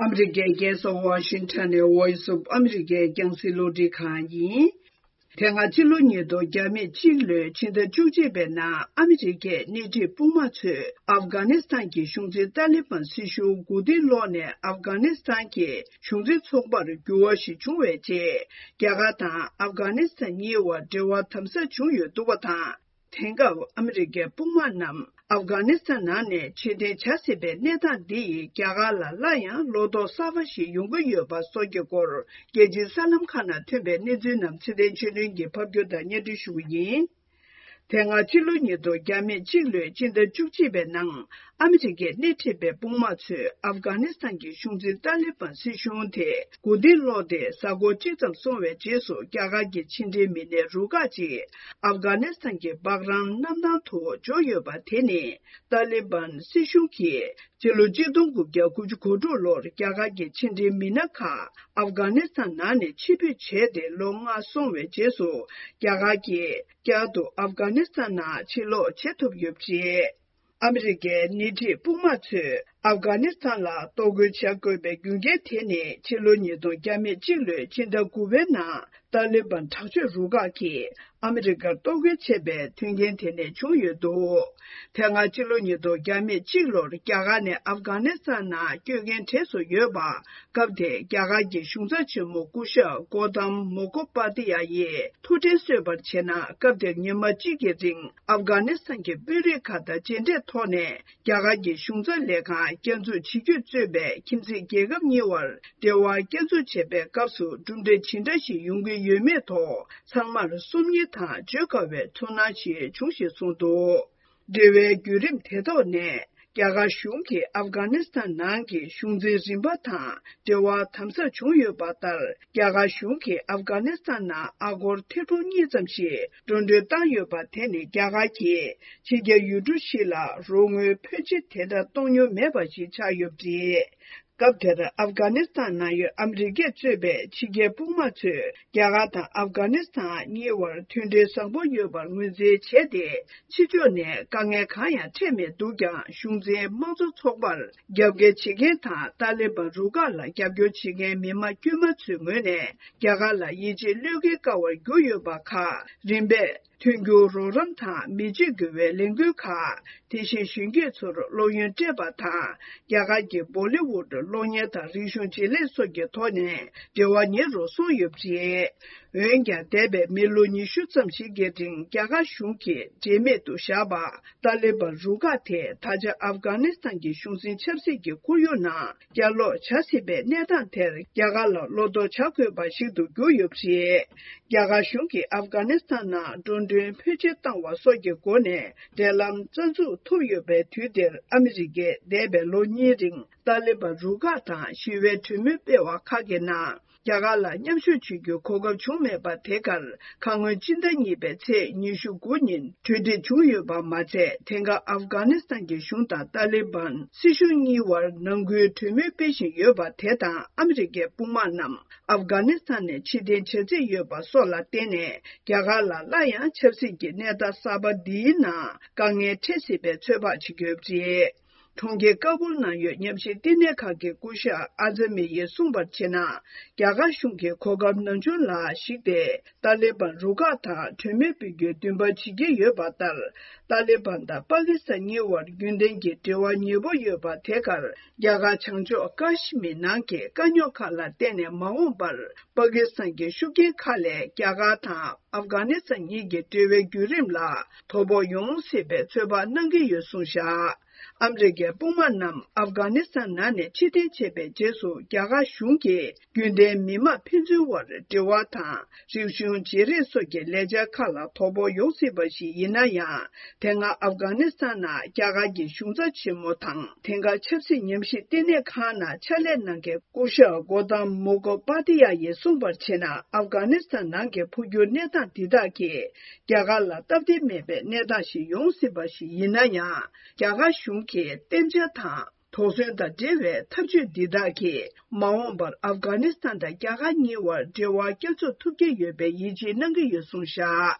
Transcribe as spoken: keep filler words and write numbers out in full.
ཨ་མི་རི་ཀའི་རྒྱལ་ས་ཝ་ཤིང་ཊོན་ནས་Voice of America རྒྱང་སྲིང་རླུང་འཕྲིན་ཁང་ཡིན། དེ་སྔ་ཕྱི་ལོ་ཉིས་སྟོང་ཉི་ཤུ་རྩ་གཅིག་ལོའི་ཕྱི་ཟླ་བཅུ་གཅིག་པའི་ནང་ཨ་མི་རི་ཀའི་སྣེ་ཁྲིད་དཔུང་དམག་ཚོས་ཨབ་གྷ་ནི་སི་ཐན་གྱི་གཞུང་འཛིན་ཏཱ་ལི་བན་སྲིད་གཞུང་མགོ་རྟིང་སློག་ནས་ཨབ་གྷ་ནི་སི་ཐན་གྱི་གཞུང་འཛིན་ཚོགས་པར་འགྱུར་བ་ཞིག་བྱུང་བའི་རྗེས། རྒྱ་གར་དང་ཨབ་གྷ་ནི་སི་ཐན་གཉིས་བར་འབྲེལ་བ་དམ་ཟབ་བྱུང་ཡོད་འདུག་པ་དང་། དེང་སྐབས་ཨ་མི་རི་ཀའི་དཔུང་དམག་རྣམས་ཨབ་གྷ་ནི་སི་ཐན་ནང་ནས་ཕྱིར་འཐེན་བྱ་སྲིད་པའི་གནས་སྟངས་འདི་ཡིས་རྒྱ་གར་ལ་སླར་ཡང་བློ་དོགས་གསར་པ་ཞིག་ཡོང་གི་ཡོད་པ་སོགས་ཀྱི་སྐོར། རྒྱལ་སྤྱིའི་གསར་ལམ་ཁག་ནང་ཐོན་པའི་གནས་ཚུལ་རྣམས་ཚེ་བརྟན་ཆོས་སྒྲོན་གྱིས་ཕབ་སྒྱུར་དང་སྙན་སྒྲོན་ཞུ་གི་ཡིན། དེ་སྔ་ཕྱི་ལོ་ཉིས་སྟོང་ཉི་ཤུ་རྩ་གཅིག་ལོའི་ཕྱི་ཟླ་བཅུ་གཅིག་པའི་ནང་། ཨ་མི་རི་ཀས་སྣེ་ཁྲིད་པའི་དཔུང་དམག་ཚོས་ཨབ་གྷ་ནི་སི་ཐན་གྱི་གཞུང་འཛིན་ཏཱ་ལི་བན་སྲིད་གཞུང་དེ་མགོ་རྟིང་སློག་སྟེ་གཟའ་འཁོར་གཅིག་ཙམ་སོང་བའི་རྗེས་སུ། རྒྱ་གར་གྱི་ཕྱི་འབྲེལ་མི་སྣའི་རུ་ཁག་ཅིག་ཨབ་གྷ་ནི་སི་ཐན་གྱི་སྦག་རམ་གནམ་ཐང་དུ་འབྱོར་ཡོད་པ་དེ་ནི། ཏཱ་ལི་བན་སྲིད་གཞུང་གིས་ཕྱི་ལོ་གཅིག་སྟོང་དགུ་བརྒྱ་དགུ་བཅུ་གོ་དྲུག་ལོར་རྒྱ་གར་གྱི་ཕྱི་འབྲེལ་མི་སྣ་ཁག་ཨབ་གྷ་ནི་སི་ཐན་ནང་ནས་ཕྱིར་འབུད་བྱས་ཏེ་ལོ་ལྔ་སོང་བའི་རྗེས་སུ། རྒྱ་གར་གྱིས་བསྐྱར་དུ་ཨབ་གྷ་ནི་སི་ཐན་ནང་ཕྱིར་ལོག་བྱེད་ཐུབ་ཡོད་པ་རེད། ཨ་མི་རི་ཀའི་སྣེ་ཁྲིད་དཔུང་དམག་ཚོས་ཨབ་གྷ་ནི་སི་ཐན་ལ་གཏོར་རྒོལ་བྱ་དགོས་པའི་རྒྱུ་རྐྱེན་དེ་ནི། ཕྱི་ལོ་ཉིས་སྟོང་ཉི་ཤུ་རྩ་གཅིག་ལོའི་ཕྱི་ཟླ་དགུ་པའི་ནང་ཏཱ་ལི་བན་དྲག་སྤྱོད་རུ་ཁག་གིས་ཨ་མི་རི་ཀར་གཏོར་རྒོལ་བྱས་པའི་མཐུན་རྐྱེན་དེ་ནས་བྱུང་ཡོད་འདུག་དེ་སྔ་ཕྱི་ལོ་ཉིས་སྟོང་ཉི་ཤུ་རྩ་གཅིག་ལོར་རྒྱ་གར་ནས་ཨབ་གྷ་ནི་སི་ཐན་ནང་སྐྱོད་མཁན་གྲས་སུ་ཡོད་པ། སྐབས་དེར་རྒྱ་གར་གྱི་གཞུང་ཚབ་ཆེན་མོ་སྐུ་ཞབས་གོ་ཏམ་མོ་ཀོ་པ་ཏི་ཡ་ཡིས་ཐུགས་དྲན་གསོས་པར་བྱས་ན། སྐབས་དེར་ཉི་མ་གཅིག་གི་རིང་ཨབ་གྷ་ནི་སི་ཐན་གྱི་དཔོན་རིགས་ཁག་དང་མཇལ་འཕྲད་ཐོག་ནས། རྒྱ་གར་གྱི་གཞུང་ཚབ་ལས་ཁང་བསྐྱར་འཛུགས་བྱེད་རྒྱུ་གཙོས་པའི་ཁྱིམ་མཚེས་རྒྱལ་ཁབ་གཉིས་བར་འབྲེལ་བ་བསྐྱར་འཛུགས་བྱེད་པའི་སྐབས་སུ་གྲུབ་འབྲས་ཇི་འདྲ་ཞིག་ཡོང་གི་ཡོད་མེད་ཐོག་ཚང་མར་སོམ་ཉི་དང་བརྗོད་དཀའ་བའི་ཚོར་སྣང་ཞིག་བྱུང་ཞེས་གསུངས་འདུག་འབྲེལ་བའི་བརྒྱུད་རིམ་དེ་ཐོག་ནས། རྒྱ་གར་གཞུང་གིས་ཨབ་གྷ་ནི་སི་ཐན་ནང་གི་གཞུང་འཛིན་རིམ་པ་དང་འབྲེལ་བ་དམ་ཟབ་བྱུང་ཡོད་པ་ལྟར། རྒྱ་གར་གཞུང་གིས་ཨབ་གྷ་ནི་སི་ཐན་ནང་ཨ་སྒོར་ཐེར་འབུམ་གཉིས་ཙམ་ཞིག་འགྲོ་གྲོན་བཏང་ཡོད་པ་དེ་ནི། རྒྱ་གར་གྱིས་ཕྱི་རྒྱལ་ཡུལ་གྲུ་ཞིག་ལ་རོགས་དངུལ་ཕོན་ཆེ་དེ་འདྲ་གཏོང་མྱོང་མེད་པ་ཞིག་ཆགས་ཡོད་པ་རེད། སྐབས་དེར་ཨབ་གྷ་ནི་སི་ཐན་ནང་ཡོད་ཨ་མི་རི་ཀས་གཙོས་པའི་ཕྱི་རྒྱལ་དཔུང་དམག་ཚོས་རྒྱ་གར་དང་ཨབ་གྷ་ནི་སི་ཐན་གཉིས་བར་མཐུན་འབྲེལ་བཟང་པོ་ཡོད་པར་ངོས་འཛིན་བྱས་ཏེ། ཕྱི་ཕྱོགས་ནས་དཀའ་ངལ་གང་ཡང་འཕྲད་མེད་འདུག་ཀྱང་། གཞུང་འཛིན་དམངས་གཙོ་ཚོགས་པར་རྒྱབ་འགལ་བྱེད་མཁན་དང་ཏཱ་ལི་བན་རུ་ཁག་ལ་རྒྱབ་སྐྱོར་བྱེད་མཁན་མི་དམངས་དཀྱུས་མ་ཚོའི་ངོས་ནས་རྒྱ་གར་ལ་ཡིད་ཆེས་བློས་འགེལ་དཀའ་བར་གྱུར་ཡོད་པ་ཁག་རིམ་པས། མཐུན་འགྱུར་རོགས་རམ་དང་མི་བརྗེད་དགོས་པའི་ལས་འགུལ་ཁག་དེ་བཞིན་གཞོན་སྐྱེས་ཚོར་སློབ་ཡོན་སྤྲད་པ་དང་། རྒྱ་གར་གྱི་བོ་ལི་ཝུད་གློག་བརྙན་དང་རིག་གཞུང་བརྗེ་ལེན་སོགས་ཀྱི་ཐོག་ནས་འབྲེལ་བ་ཉེ་རུ་སོང་ཡོད་པ་རེད། འོན་ཀྱང་། འདས་པའི་མི་ལོ་ཉི་ཤུ་ཙམ་ཞིག་གི་རིང་རྒྱ་གར་གཞུང་གིས་འབྲེལ་མེད་དུ་བཞག་པ། ཏཱ་ལི་བན་རུ་ཁག་དེས་ད་ཆ་ཨབ་གྷ་ནི་སི་ཐན་གྱི་གཞུང་འཛིན་ཆབ་སྲིད་ཀྱི་ཁོར་ཡུག་ནང་བསྐྱར་ལོག་བྱ་སྲིད་པའི་གནས་སྟངས་དེར་རྒྱ་གར་ལ་བློ་དོགས་བྱ་དགོས་པ་ཞིག་ཏུ་གྱུར་ཡོད་པ་རེད། རྒྱ་གར་གཞུང་གིས་ཨབ་གྷ་ནི་སི་ཐན་ནང་འགྲོ་གྲོན་ཕོན་ཆེ་བཏང་བ་སོགས་ཀྱི་སྒོ་ནས་འབྲེལ་ལམ་རྩ་འཛུགས་ཐུབ་ཡོད་པའི་དུས་འདིར། ཨ་མི་རི་ཀས་འདས་པའི་ལོ་གཉིས་རིང་ཏཱ་ལི་བན་རུ་ཁག་དང་ཞི་བའི་གྲོས་མོལ་སྤེལ་བ་ཁག་གི་ནང་། རྒྱ་གར་ལ་མཉམ་ཞུགས་བྱེད་རྒྱུའི་གོ་སྐབས་བྱུང་མེད་པ་དེ་གར། ཁ་སྔོན་སྤྱི་ཟླ་གཉིས་པའི་ཚེས་ཉི་ཤུ་དགུ་ཉིན་གྲོས་འགྲིག་བྱུང་ཡོད་པ་མ་ཚད། དེང་སྐབས་ཨབ་གྷ་ནི་སི་ཐན་གྱི་གཞུང་དང་ཏཱ་ལི་བན་སྲིད་གཞུང་གཉིས་བར་ནང་ཁུལ་གྲོས་མོལ་སྤེལ་བཞིན་ཡོད་པ་དེ་དང་། ཨ་མི་རི་ཀའི་དཔུང་དམག་རྣམས་ཨབ་གྷ་ནི་སི་ཐན་ནས་ཕྱིར་འཐེན་བྱ་རྩིས་ཡོད་པ་སོགས་ལ་བརྟེན་ནས། རྒྱ་གར་ལ་སླར་ཡང་ཆབ་སྲིད་ཀྱི་གནས་སྟངས་གསར་པ་འདིའི་ནང་དཀའ་ངལ་འཕྲད་སྲིད་པའི་ཚོད་དཔག་བྱེད་ཀྱི་ཡོད་པ་རེད། གྲོང་ཁྱེར་ཀ་བུལ་ནང་ཡོད་ཉམས་ཞིབ་བསྟི་གནས་ཁང་གི་སྐུ་ཞབས་ཨ་ཛ་མི་ཡིས་གསུངས་པར་བྱས་ན། རྒྱ་གར་གཞུང་གིས་གོ་སྐབས་ནམ་བྱུང་ལ་གཞིགས་ཏེ། ཏཱ་ལི་བན་རུ་ཁག་དང་གྲོས་མོལ་སྤེལ་རྒྱུའི་འདུན་པ་བྱེད་ཀྱི་ཡོད་པ་ལྟར། ཏཱ་ལི་བན་དང་པ་ཀི་སི་ཐན་གཉིས་བར་རྒྱུན་ལྡན་གྱི་འབྲེལ་བ་ཉེ་པོ་ཡོད་པ་དེ་གར། རྒྱ་གར་བྱང་ཕྱོགས་ཀ་ཤི་མིར་ནང་གི་དཀའ་རྙོག་ཁག་ལ་བརྟེན་ནས། མ་འོངས་པར་པ་ཀི་སི་ཐན་གྱི་ཤུགས་རྐྱེན་ཁག་ལས་རྒྱ་གར་དང་ཨབ་གྷ་ནི་སི་ཐན་གཉིས་ཀྱི་འབྲེལ་བའི་བརྒྱུད་རིམ་ལ་དོ་ཕོག་ཡོང་སྲིད་པའི་ཚོད་དཔག་གནང་གི་ཡོད་གསུངས་བཞག་ཨ་མི་རི་ཀའི་དཔུང་དམག་རྣམས་ཨབ་གྷ་ནི་སི་ཐན་ནང་ནས་ཕྱིར་འཐེན་བྱས་པའི་རྗེས་སུ། རྒྱ་གར་གཞུང་གིས་རྒྱུན་ལྡན་མི་དམངས་ཕན་ཚུན་དབར་འབྲེལ་བ་དང་། རིག་གཞུང་བརྗེ་རེས་སོགས་ཀྱི་ལས་འཆར་ཁག་ལ་དོ་ཕོག་ཡོང་སྲིད་པ་ཞིག་ཡིན་ན་ཡང་། དེ་སྔ་ཨབ་གྷ་ནི་སི་ཐན་ནང་རྒྱ་གར་གྱི་གཞུང་ཚབ་ཆེན་མོ་དང་། དེང་སྐབས་ཆབ་སྲིད་ཉམས་ཞིབ་བསྟི་གནས་ཁང་ནང་ཕྱག་ལས་གནང་མཁན་སྐུ་ཞབས་གོ་ཏམ་མུ་ཁོ་པ་ཏི་ཡ་ཡིས་གསུངས་པར་བྱས་ན། ཨབ་གྷ་ནི་སི་ཐན་ནང་གི་འཕོ་འགྱུར་གནས་སྟངས་འདི་དག་གིས། རྒྱ་གར་ལ་སྟབས་བདེ་མེད་པའི་གནས་སྟངས་ཤིག་ཡོང་སྲིད་པ་ཞིག་ཡིན་ན་ཡང་། རྒྱ་གར་གཞུང་གིས་གཏན་འཇགས་དང་དོགས་ཟོན་དང་འབྲེལ་བའི་ཐབས་ཇུས་འདི་དག་གིས། མ་འོངས་པར་ཨབ་གྷ་ནི་སི་ཐན་དང་རྒྱ་གར་གཉིས་བར་འབྲེལ་བ་བསྐྱར་འཛུགས་ཐུབ་ཀྱི་ཡོད་པའི་ཡིད་ཆེས་གནང་གི་ཡོད་གསུངས་བཞག